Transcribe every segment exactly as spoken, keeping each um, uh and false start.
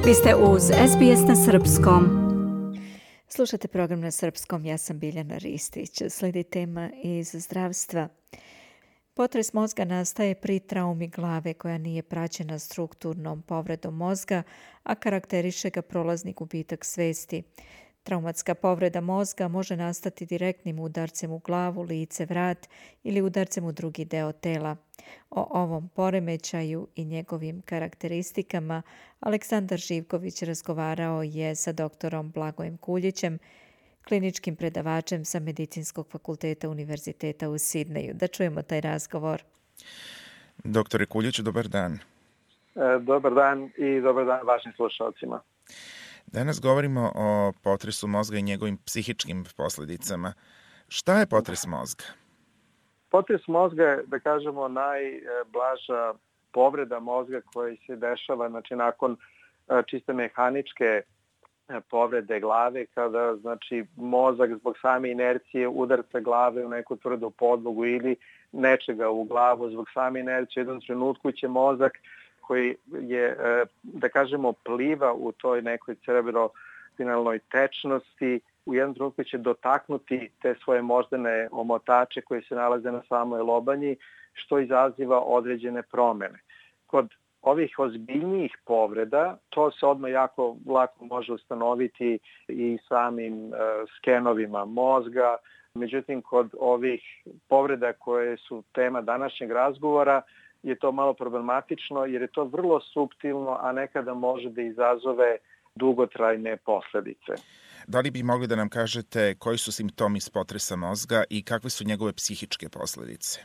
Vi ste uz S B S na srpskom. Slušate program na srpskom, ja sam Biljana Ristić. Slijedi tema iz zdravstva. Potres mozga nastaje pri traumi glave koja nije praćena strukturnom povredom mozga, a karakteriše ga prolazni gubitak svesti. Traumatska povreda mozga može nastati direktnim udarcem u glavu, lice, vrat ili udarcem u drugi deo tela. O ovom poremećaju i njegovim karakteristikama Aleksandar Živković razgovarao je sa doktorom Blagojem Kuljićem, kliničkim predavačem sa Medicinskog fakulteta Univerziteta u Sidneju. Da čujemo taj razgovor. Doktore Kuljić, dobar dan. E, dobar dan i dobar dan vašim slušalcima. Danas govorimo o potresu mozga i njegovim psihičkim posljedicama. Šta je potres mozga? Potres mozga je, da kažemo, najblaža povreda mozga koja se dešava, znači nakon čiste mehaničke povrede glave, kada znači mozak zbog same inercije udarca glave u neku tvrdu podlogu ili nečega u glavu zbog same inercije. U jednom trenutku će mozak koji je, da kažemo, pliva u toj nekoj cerebrospinalnoj tečnosti, u jednom trenutku će dotaknuti te svoje moždane omotače koji se nalaze na samoj lobanji, što izaziva određene promjene. Kod ovih ozbiljnijih povreda to se odmah jako lako može ustanoviti i samim uh, skenovima mozga. Međutim, kod ovih povreda koje su tema današnjeg razgovora je to malo problematično jer je to vrlo suptilno, a nekada može da izazove dugotrajne posljedice. Da li bi mogli da nam kažete koji su simptomi potresa mozga i kakve su njegove psihičke posljedice?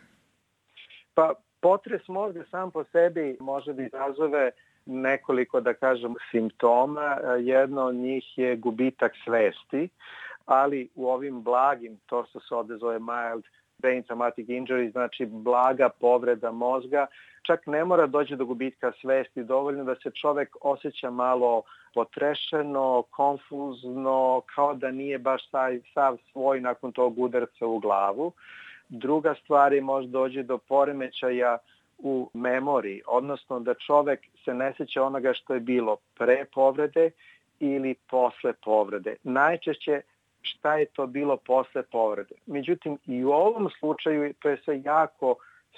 Pa, potres mozga sam po sebi može da izazove nekoliko, da kažem, simptoma. Jedno od njih je gubitak svesti, ali u ovim blagim, to što se ovdje zove mild brain traumatic injury, znači blaga povreda mozga, čak ne mora doći do gubitka svesti, dovoljno da se čovjek osjeća malo potrešeno, konfuzno, kao da nije baš taj sav svoj nakon tog udarca u glavu. Druga stvar je može doći do poremećaja u memoriji, odnosno da čovjek se ne sjeća onoga što je bilo pre povrede ili posle povrede. Najčešće šta je to bilo posle povrede. Međutim, i u ovom slučaju to je sve jako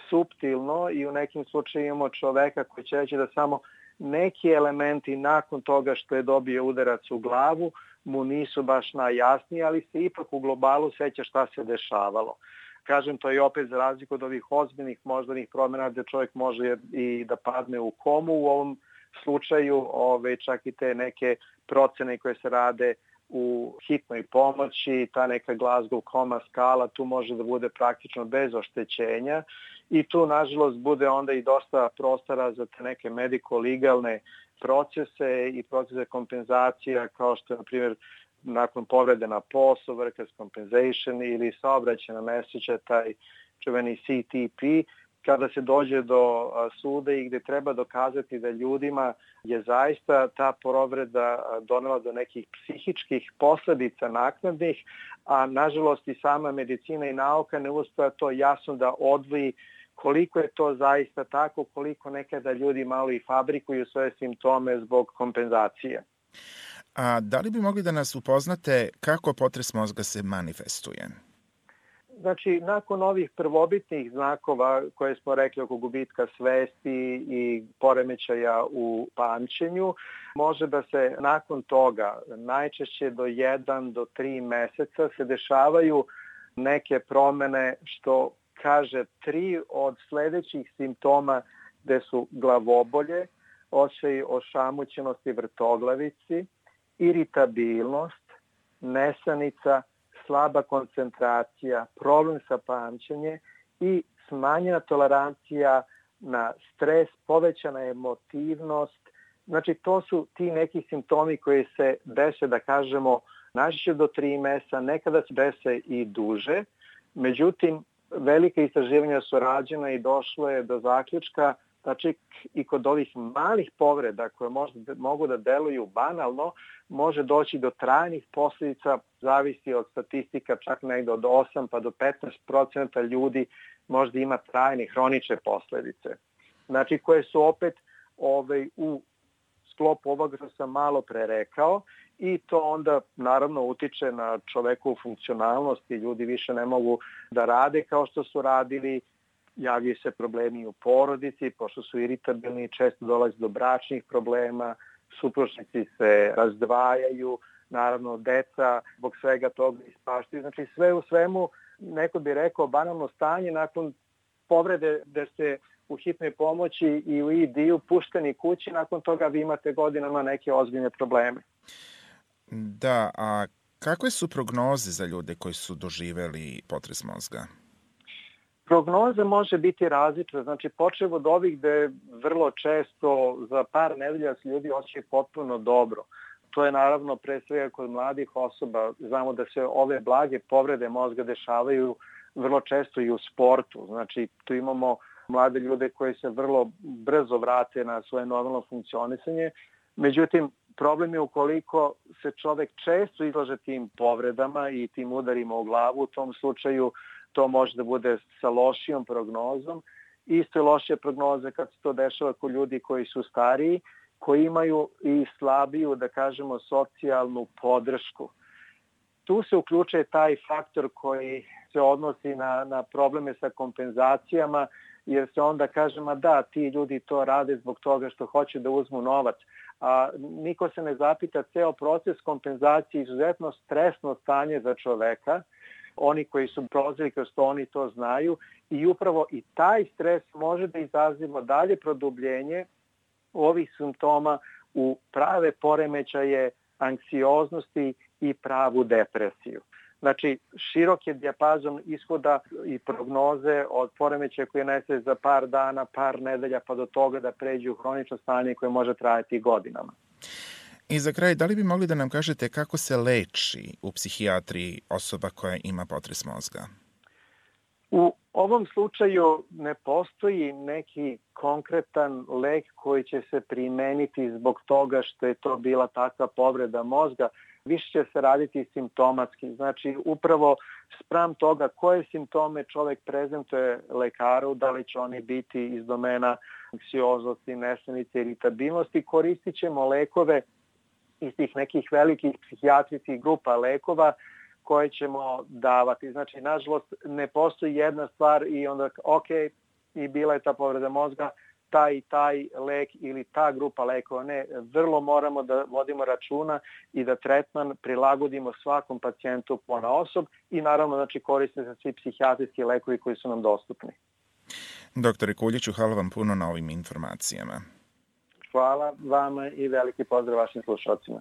suptilno i u nekim slučajima imamo čoveka koji će reći da samo neki elementi nakon toga što je dobio udarac u glavu mu nisu baš najjasniji, ali se ipak u globalu seća šta se dešavalo. Kažem, to je opet za razliku od ovih ozbiljnih moždanih promjena gdje čovjek može i da padne u komu. U ovom slučaju ove, čak i te neke procene koje se rade u hitnoj pomoći, ta neka Glasgow koma skala, tu može da bude praktično bez oštećenja i tu nažalost bude onda i dosta prostora za te neke medico-legalne procese i procese kompenzacija kao što je na primjer nakon povrede na poslu, workers' compensation ili saobraćajna nesreća, taj čuveni C T P, kada se dođe do suda i gdje treba dokazati da ljudima je zaista ta povreda donela do nekih psihičkih posljedica naknadnih, a nažalost i sama medicina i nauka ne uspeva to jasno da odvoji koliko je to zaista tako, koliko nekada ljudi malo i fabrikuju svoje simptome zbog kompenzacije. A da li bi mogli da nas upoznate kako potres mozga se manifestuje? Znači, nakon ovih prvobitnih znakova koje smo rekli oko gubitka svesti i poremećaja u pamćenju, može da se nakon toga, najčešće do jedan do tri meseca, se dešavaju neke promjene što kaže tri od sljedećih simptoma gde su glavobolje, osjećaj ošamućenosti vrtoglavici, iritabilnost, nesanica, slaba koncentracija, problem sa pamćenjem i smanjena tolerancija na stres, povećana emotivnost. Znači, to su ti neki simptomi koji se dese, da kažemo, najčešće do tri mjeseca, nekada se dese i duže. Međutim, velike istraživanja su rađena i došlo je do zaključka znači i kod ovih malih povreda koje možda, mogu da deluju banalno, može doći do trajnih posljedica, zavisi od statistika, čak negdje od osam pa do petnaest procenata ljudi možda ima trajne hronične posljedice. Znači koje su opet ovaj, u sklopu ovoga što sam malo pre rekao i to onda naravno utiče na čovekovu funkcionalnost i ljudi više ne mogu da rade kao što su radili, javljaju se problemi u porodici, pošto su iritabilni, često dolazi do bračnih problema, supružnici se razdvajaju, naravno deca zbog svega toga ispaštaju. Znači sve u svemu, neko bi rekao, banalno stanje nakon povrede da ste u hitnoj pomoći i u I D-u pušteni kući, nakon toga vi imate godinama neke ozbiljne probleme. Da, a kakve su prognoze za ljude koji su doživeli potres mozga? Prognoza može biti različita, znači počev od ovih gde vrlo često za par nedelja se ljudi osjećaju potpuno dobro. To je naravno pre svega kod mladih osoba. Znamo da se ove blage povrede mozga dešavaju vrlo često i u sportu. Znači tu imamo mlade ljude koji se vrlo brzo vrate na svoje normalno funkcionisanje. Međutim, problem je ukoliko se čovek često izlaže tim povredama i tim udarima u glavu, u tom slučaju to može da bude sa lošijom prognozom. Isto je lošija prognoza kad se to dešava kod ljudi koji su stariji, koji imaju i slabiju, da kažemo, socijalnu podršku. Tu se uključuje taj faktor koji se odnosi na, na probleme sa kompenzacijama, jer se onda kažemo da ti ljudi to rade zbog toga što hoće da uzmu novac. A niko se ne zapita, ceo proces kompenzacije je izuzetno stresno stanje za čoveka. Oni koji su prolazili kroz to, oni to znaju i upravo i taj stres može da izaziva dalje produbljenje ovih simptoma u prave poremećaje anksioznosti i pravu depresiju. Znači, širok je dijapazon ishoda i prognoze od poremećaja koje nese za par dana, par nedelja, pa do toga da pređu u hronično stanje koje može trajati godinama. I za kraj, da li bi mogli da nam kažete kako se leči u psihijatriji osoba koja ima potres mozga? U ovom slučaju ne postoji neki konkretan lek koji će se primeniti zbog toga što je to bila takva povreda mozga. Više će se raditi simptomatski. Znači, upravo spram toga koje simptome čovek prezentuje lekaru, da li će oni biti iz domena anksioznosti, nesanice, iritabilnosti, koristit ćemo lekove iz tih nekih velikih psihijatrijskih grupa lekova koje ćemo davati. Znači, nažalost, ne postoji jedna stvar i onda, ok, i bila je ta povreda mozga, taj i taj lek ili ta grupa lekova. Ne, vrlo moramo da vodimo računa i da tretman prilagodimo svakom pacijentu ponaosob i naravno, znači, koriste se svi psihijatrijski lekovi koji su nam dostupni. Doktore Kuljiću, hvala vam puno na ovim informacijama. Hvala vama i veliki pozdrav vašim slušalcima.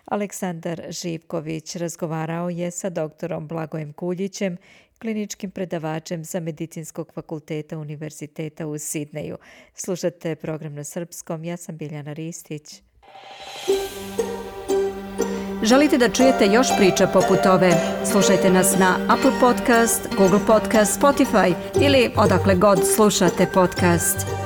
Aleksandar Živković razgovarao je sa doktorom Blagojem Kuljićem, kliničkim predavačem za medicinskog fakulteta Univerziteta u Sidneju. Slušate program na srpskom, ja sam Biljana Ristić. Želite da čujete još priča poput ove? Slušajte nas na Apple Podcast, Google Podcast, Spotify ili odakle god slušate podcast.